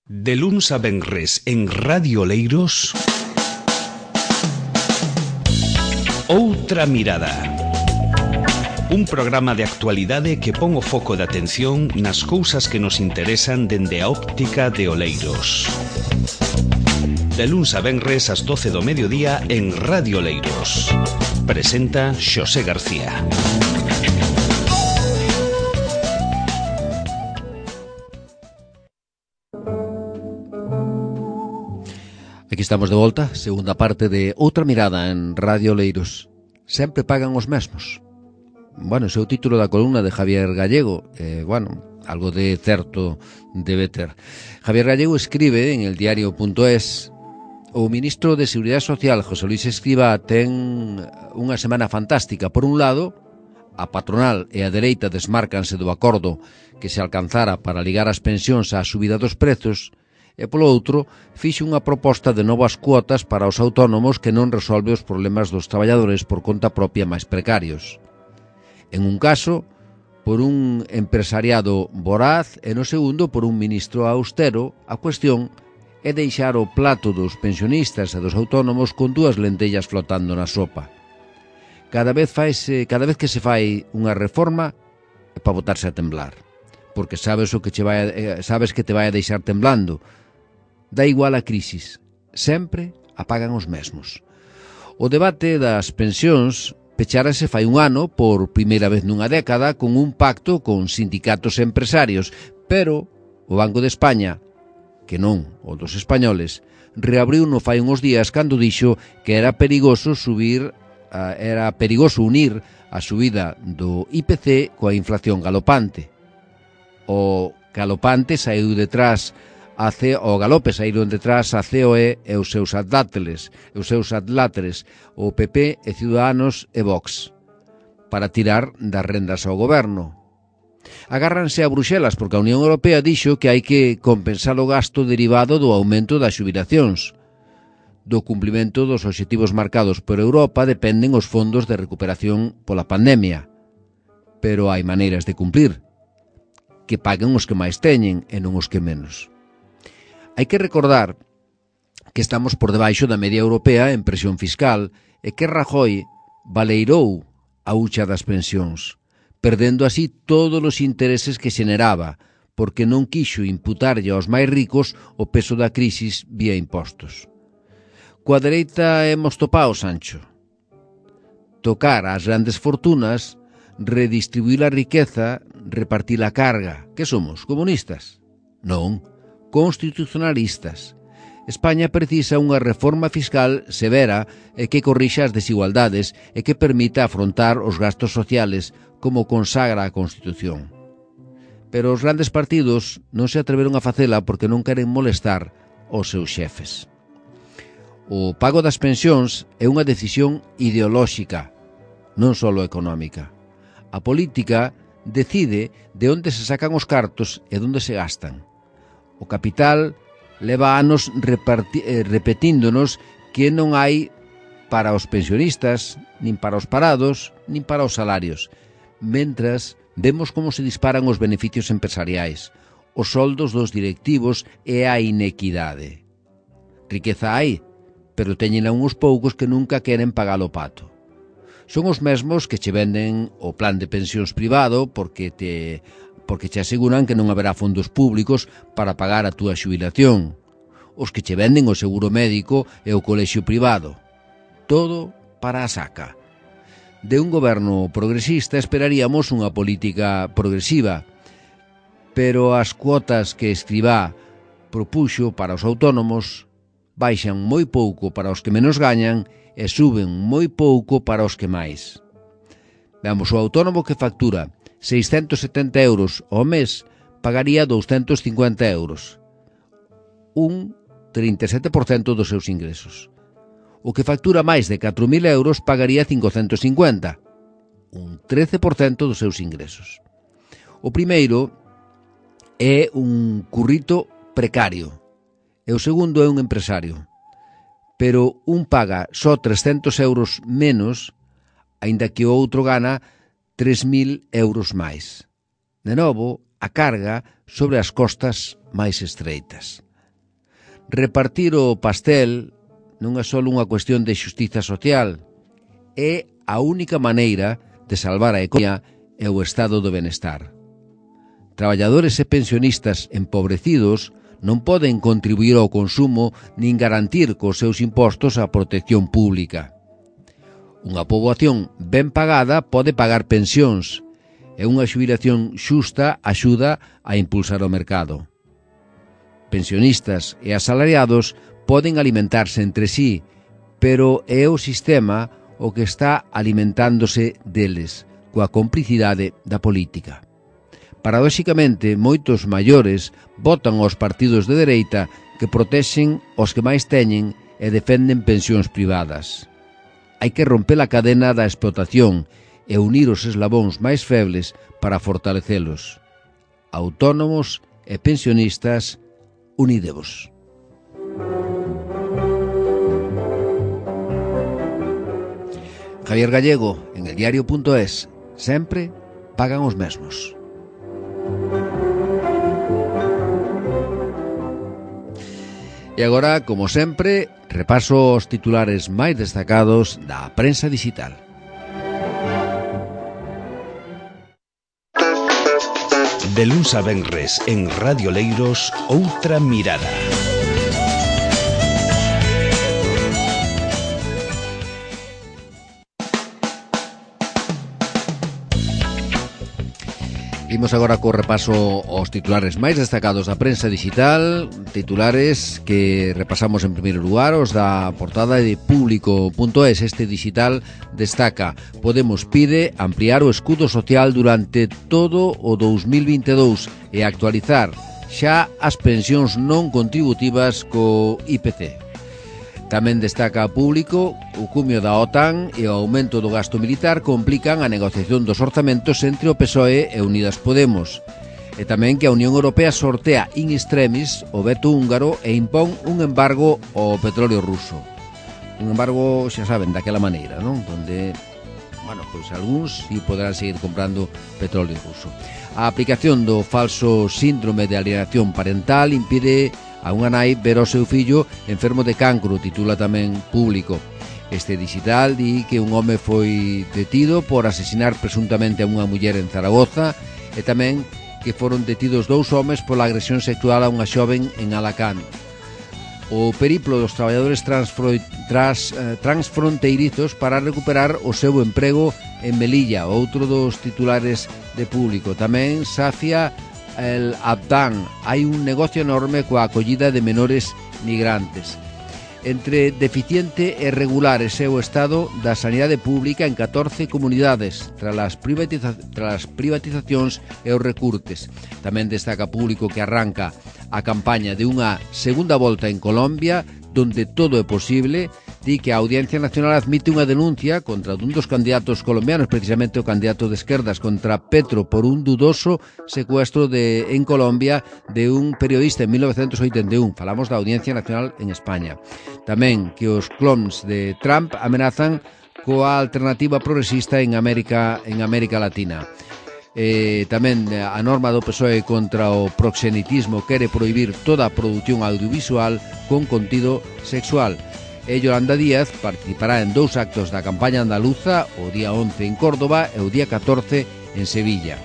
De luns a venres en Radio Oleiros, Outra Mirada. Un programa de actualidade que pon o foco de atención nas cousas que nos interesan dende a óptica de Oleiros. De luns a venres ás 12 do mediodía en Radio Oleiros. Presenta Xosé García. Aquí estamos de volta, segunda parte de Outra Mirada en Radio Oleiros. Sempre pagan os mesmos. Bueno, ese é o título da columna de Javier Gallego. Algo de certo debe ter. Javier Gallego escribe en el diario.es: o ministro de Seguridade Social, José Luis Escrivá, ten unha semana fantástica. Por un lado, a patronal e a dereita desmárcanse do acordo que se alcanzara para ligar as pensións á subida dos prezos, e polo outro, fixe unha proposta de novas cuotas para os autónomos que non resolve os problemas dos traballadores por conta propia máis precarios. En un caso, por un empresariado voraz, e no segundo, por un ministro austero. A cuestión é deixar o plato dos pensionistas e dos autónomos con dúas lentellas flotando na sopa. Cada vez que se fai unha reforma é para botarse a temblar, porque sabes que te vai a deixar temblando. Da igual a crisis, sempre a pagan os mesmos. O debate das pensións pechárase fai un ano por primeira vez nunha década con un pacto con sindicatos e empresarios, pero o Banco de España, que non o dos españoles, reabriu no fai uns días cando dixo que era perigoso unir a subida do IPC coa inflación galopante. O galope saíron detrás a COE e os seus adláteres, o PP e Ciudadanos e Vox, para tirar das rendas ao goberno. Agárranse a Bruxelas porque a Unión Europea dixo que hai que compensar o gasto derivado do aumento das xubilacións. Do cumprimento dos obxectivos marcados por Europa dependen os fondos de recuperación pola pandemia. Pero hai maneiras de cumprir. Que paguen os que máis teñen e non os que menos. Hai que recordar que estamos por debaixo da media europea en presión fiscal e que Rajoy baleirou a hucha das pensións, perdendo así todos os intereses que xeneraba, porque non quixo imputarlle aos máis ricos o peso da crisis vía impostos. Coa dereita hemos topado, Sancho. Tocar ás grandes fortunas, redistribuir a riqueza, repartir a carga. Que somos, comunistas? Non, constitucionalistas. España precisa unha reforma fiscal severa e que corrixa as desigualdades e que permita afrontar os gastos sociales como consagra a Constitución. Pero os grandes partidos non se atreveron a facela porque non queren molestar aos seus xefes. O pago das pensións é unha decisión ideolóxica, non só económica. A política decide de onde se sacan os cartos e onde se gastan. O capital leva anos repetíndonos que non hai para os pensionistas, nin para os parados, nin para os salarios, mentras vemos como se disparan os beneficios empresariais, os soldos dos directivos e a inequidade. Riqueza hai, pero teñen uns poucos que nunca queren pagar o pato. Son os mesmos que che venden o plan de pensións privado porque te aseguran que non haberá fondos públicos para pagar a túa xubilación. Os que che venden o seguro médico e o colexio privado. Todo para a saca. De un goberno progresista esperaríamos unha política progresiva, pero as cuotas que Escrivá propuxo para os autónomos baixan moi pouco para os que menos gañan e suben moi pouco para os que máis. Veamos, o autónomo que factura 670 euros ao mes pagaría 250 euros, un 37% dos seus ingresos. O que factura máis de 4.000 euros pagaría 550, un 13% dos seus ingresos. O primeiro é un currito precario e o segundo é un empresario, pero un paga só 300 euros menos, aínda que o outro gana 3.000 euros máis. De novo, a carga sobre as costas máis estreitas. repartir o pastel non é só unha cuestión de xustiza social, é a única maneira de salvar a economía e o estado do benestar. Traballadores e pensionistas empobrecidos non poden contribuir ao consumo nin garantir cos seus impostos a protección pública. Unha poboación ben pagada pode pagar pensións e unha xubilación xusta axuda a impulsar o mercado. Pensionistas e asalariados poden alimentarse entre sí, pero é o sistema o que está alimentándose deles, coa complicidade da política. Paradoxicamente, moitos maiores votan aos partidos de dereita que protexen os que máis teñen e defenden pensións privadas. Hai que romper a cadena da explotación e unir os eslabóns máis febles para fortalecelos. Autónomos e pensionistas, unidevos. Javier Gallego, en eldiario.es, sempre pagan os mesmos. E agora, como sempre, repaso os titulares máis destacados da prensa digital. De luns a venres en Radio Leiros, Outra Mirada. Imos agora co repaso aos titulares máis destacados da prensa digital, titulares que repasamos en primeiro lugar, os da portada de Público.es. Este digital destaca: Podemos pide ampliar o escudo social durante todo o 2022 e actualizar xa as pensións non contributivas co IPC. Tamén destaca a Público: o cumio da OTAN e o aumento do gasto militar complican a negociación dos orzamentos entre o PSOE e Unidas Podemos. E tamén que a Unión Europea sortea in extremis o veto húngaro e impón un embargo ao petróleo ruso. Un embargo, xa saben, daquela maneira, non? Donde, pois algúns si poderán seguir comprando petróleo ruso. A aplicación do falso síndrome de alienación parental impide a unha nai ver o seu fillo enfermo de cancro, titula tamén Público. Este digital di que un home foi detido por asesinar presuntamente a unha muller en Zaragoza e tamén que foron detidos 2 homes pola agresión sexual a unha xoven en Alacant. O periplo dos traballadores transfronteirizos para recuperar o seu emprego en Melilla, outro dos titulares de Público. Tamén sacia el Abdán, hai un negocio enorme coa acollida de menores migrantes. Entre deficiente e regulares é o estado da sanidade pública en 14 comunidades tras as privatizacións e os recurtes. Tamén destaca Público que arranca a campaña de unha segunda volta en Colombia, donde todo é posible. Di que a Audiencia Nacional admite unha denuncia contra un dos candidatos colombianos, precisamente o candidato de esquerdas, contra Petro, por un dudoso secuestro en Colombia de un periodista en 1981. Falamos da Audiencia Nacional en España. Tamén que os clones de Trump amenazan coa alternativa progresista en América Latina. Tamén a norma do PSOE contra o proxenitismo quere prohibir toda a produción audiovisual con contido sexual. E Yolanda Díaz participará en 2 actos da campaña andaluza, o día 11 en Córdoba e o día 14 en Sevilla.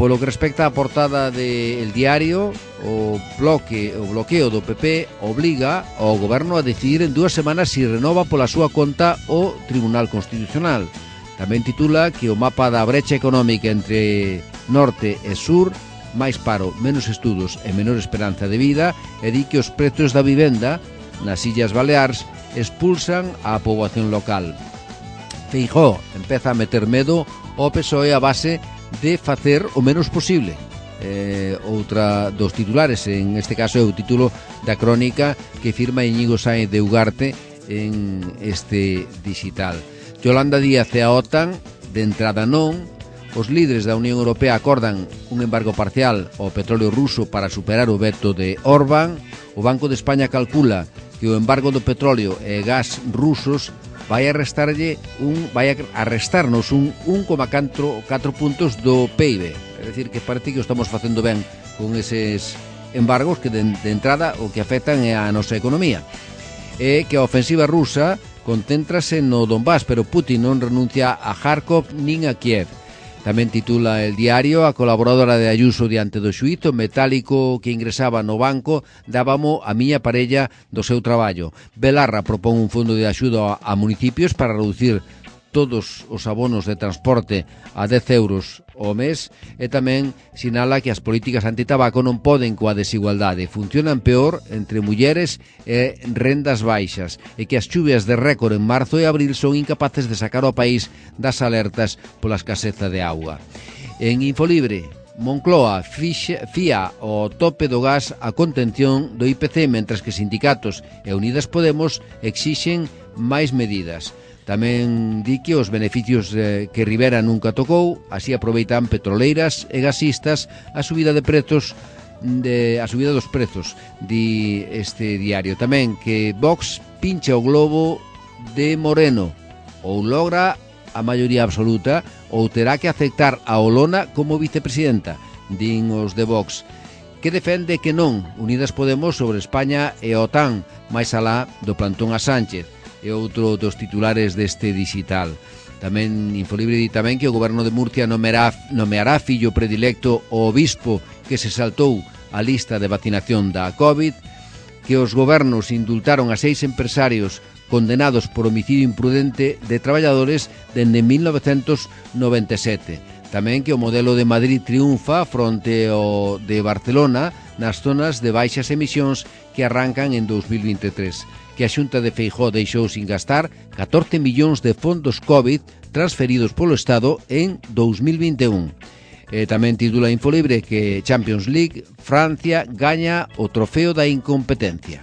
Polo que respecta á portada de El Diario, o bloqueo do PP obliga ao goberno a decidir en 2 semanas se renova pola súa conta o Tribunal Constitucional. Tamén titula que o mapa da brecha económica entre norte e sur, máis paro, menos estudos e menor esperanza de vida, e di que os prezos da vivenda nas Illas Baleares expulsan a poboación local. Feijóo empeza a meter medo ao PSOE a base de facer o menos posible. Outra dos titulares, en este caso é o título da crónica que firma Íñigo Sáenz de Ugarte en este digital. Yolanda Díaz e a OTAN, de entrada non. Os líderes da Unión Europea acordan un embargo parcial ao petróleo ruso para superar o veto de Orbán. O Banco de España calcula que o embargo do petróleo e gas rusos vai arrestarnos un 1,4 puntos do PIB. É dicir, que parece que o estamos facendo ben con eses embargos que de entrada o que afectan a nosa economía. E que a ofensiva rusa concéntrase no Donbass, pero Putin non renuncia a Kharkov nin a Kiev. Tamén titula El Diario: a colaboradora de Ayuso diante do xuízo, metálico que ingresaba no banco dábamo a miña parella do seu traballo. Belarra propón un fondo de axuda a municipios para reducir todos os abonos de transporte a 10 euros ao mes, e tamén sinala que as políticas antitabaco non poden coa desigualdade, funcionan peor entre mulleres e rendas baixas, e que as chuvias de récord en marzo e abril son incapaces de sacar ao país das alertas pola escaseza de auga. En Infolibre, Moncloa fía o tope do gas a contención do IPC, mentres que sindicatos e Unidas Podemos exixen máis medidas. Tamén di que os beneficios que Rivera nunca tocou, así aproveitan petroleiras e gasistas a subida de prezos a subida dos prezos, di este diario. Tamén que Vox pincha o globo de Moreno, ou logra a maioría absoluta ou terá que aceptar a Olona como vicepresidenta, din os de Vox, que defende que non Unidas Podemos sobre España e a OTAN, máis alá do plantón a Sánchez. E outro dos titulares deste digital. Tamén Infolibre di tamén que o goberno de Murcia nomeará fillo predilecto o obispo que se saltou a lista de vacinación da COVID, que os gobernos indultaron a 6 empresarios condenados por homicidio imprudente de traballadores dende 1997. Tamén que o modelo de Madrid triunfa fronte ao de Barcelona nas zonas de baixas emisións que arrancan en 2023. Que a Xunta de Feijóo deixou sin gastar 14 millóns de fondos COVID transferidos polo Estado en 2021. Tamén titula Infolibre que Champions League, Francia gaña o trofeo da incompetencia.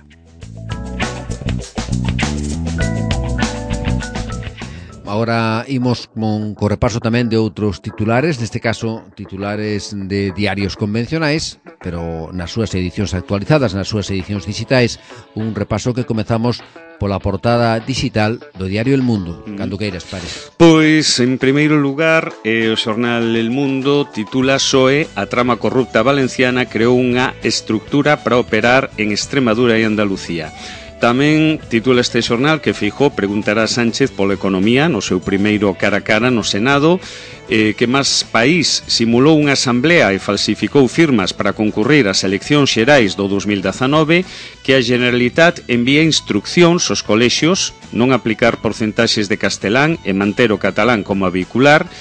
Agora imos co repaso tamén de outros titulares, neste caso titulares de diarios convencionais, pero nas súas edicións actualizadas, nas súas edicións digitais, un repaso que comezamos pola portada digital do diario El Mundo. Cando queiras, Pare. Pois, en primeiro lugar, o xornal El Mundo titula PSOE, a trama corrupta valenciana creou unha estructura para operar en Extremadura e Andalucía. Tamén titula este xornal que Feijóo preguntará a Sánchez pola economía no seu primeiro cara a cara no Senado, que máis país simulou unha asamblea e falsificou firmas para concurrir ás eleccións xerais do 2019, que a Generalitat envía instruccións aos colexios non aplicar porcentaxes de castelán e manter o catalán como vehicular,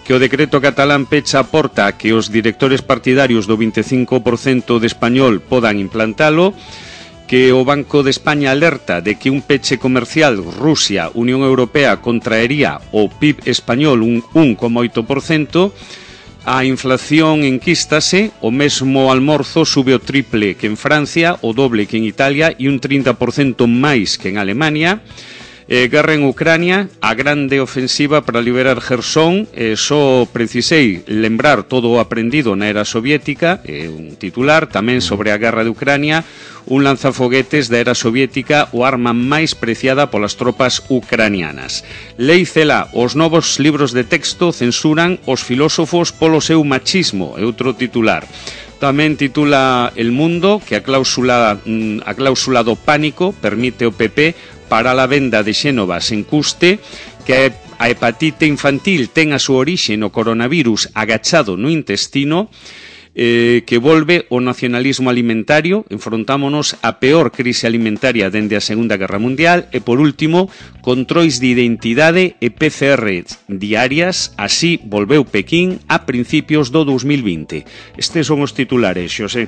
que o decreto catalán pecha a porta a que os directores partidarios do 25% de español podan implantalo, que o Banco de España alerta de que un peche comercial Rusia-Unión Europea contraería o PIB español un 1,8%, a inflación enquístase, o mesmo almorzo sube o triple que en Francia, o doble que en Italia e un 30% máis que en Alemania. Guerra en Ucrania, a grande ofensiva para liberar Jersón, só precisei lembrar todo o aprendido na era soviética, un titular tamén sobre a guerra de Ucrania, un lanzafoguetes da era soviética, o arma máis preciada polas tropas ucranianas. Lei cela, os novos libros de texto censuran os filósofos polo seu machismo, é outro titular. Tamén titula El Mundo que a cláusula do pánico permite ao PP para a venda de Xénova sen custe, que a hepatite infantil ten a súa orixe no coronavirus agachado no intestino, que volve o nacionalismo alimentario, enfrontámonos a peor crise alimentaria dende a Segunda Guerra Mundial, e por último, controis de identidade e PCR diarias, así volveu Pequín a principios do 2020. Estes son os titulares, Xosé.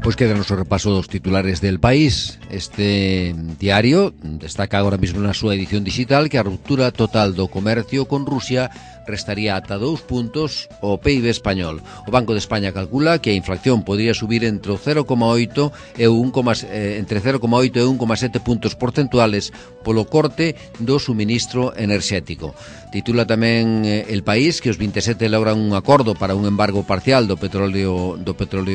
Pois quédanos o repaso dos titulares del país. Este diario destaca agora mesmo na súa edición digital que a ruptura total do comercio con Rusia restaría ata 2 puntos o PIB español. O Banco de España calcula que a inflación podría subir entre 0,8 e 1,7 puntos porcentuales polo corte do suministro enerxético. Titula tamén El País que os 27 logran un acordo para un embargo parcial do petróleo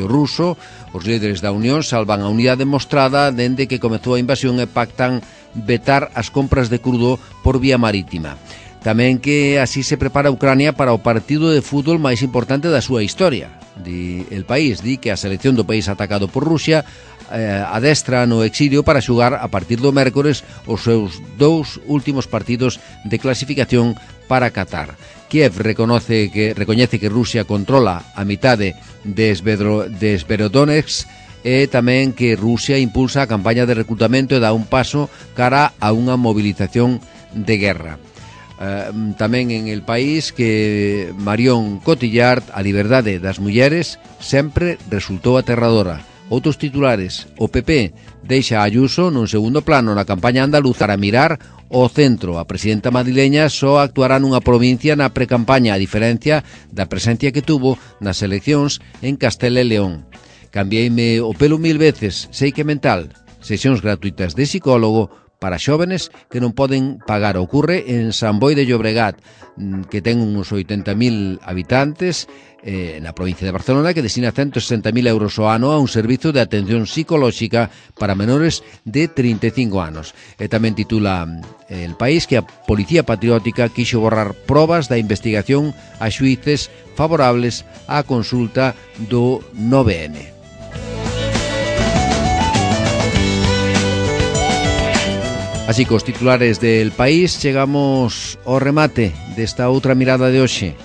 ruso. Os líderes da Unión salvan a unidade mostrada dende que comezou a invasión e pactan vetar as compras de crudo por vía marítima. Tamén que así se prepara Ucrania para o partido de fútbol máis importante da súa historia. di El País, di que a selección do país atacado por Rusia adestra no exilio para xugar a partir do mércores os seus 2 últimos partidos de clasificación para Qatar. Kiev recoñece que Rusia controla a mitade de Sverodonetsk e tamén que Rusia impulsa a campaña de reclutamento e dá un paso cara a unha movilización de guerra. Tamén en El País que Marion Cotillard, a liberdade das mulleres sempre resultou aterradora. Outros titulares: o PP deixa a Ayuso nun segundo plano na campaña andaluza para mirar o centro. A presidenta madrileña só actuará nunha provincia na precampaña, a diferencia da presencia que tuvo nas eleccións en Castela e León. Cambiéime o pelo 1000 veces, sei que mental. Sesións gratuitas de psicólogo para xóvenes que non poden pagar. Ocorre en San Boi de Llobregat, que ten uns 80.000 habitantes, na provincia de Barcelona, que destina 160.000 euros ao ano a un servizo de atención psicolóxica para menores de 35 anos. E tamén titula El País que a Policía Patriótica quixo borrar probas da investigación a xuíces favorables á consulta do 9N. Así que os titulares del País chegamos ao remate desta outra mirada de hoxe.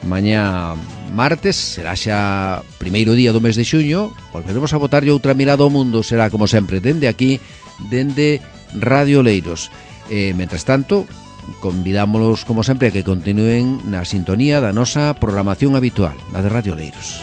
Mañá martes será xa primeiro día do mes de xuño. Volveremos a botarlle outra mirada ao mundo. Será como sempre dende aquí, dende Radio Oleiros. Mentres tanto, convidámolos como sempre a que continúen na sintonía da nosa programación habitual, na de Radio Oleiros.